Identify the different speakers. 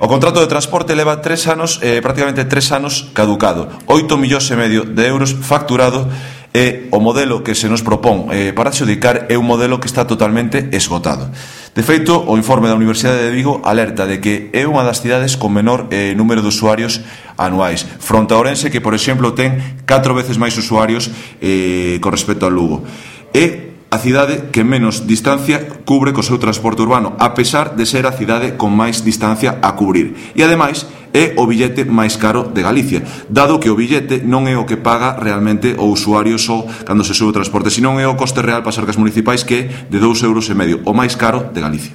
Speaker 1: O contrato de transporte leva 3 anos, prácticamente 3 anos caducado, 8,5 millóns de euros facturado, e o modelo que se nos propón para adxudicar é un modelo que está totalmente esgotado. De feito, o informe da Universidade de Vigo alerta de que é unha das cidades con menor número de usuarios anuais, fronte a Ourense, que, por exemplo, ten 4 veces máis usuarios con respecto ao Lugo. É a cidade que menos distancia cubre co seu transporte urbano, a pesar de ser a cidade con máis distancia a cubrir. E, ademais, é o billete máis caro de Galicia, dado que o billete non é o que paga realmente o usuario só cando se sube o transporte, senón é o coste real para as arcas municipais, que é de 2,5 euros, o máis caro de Galicia.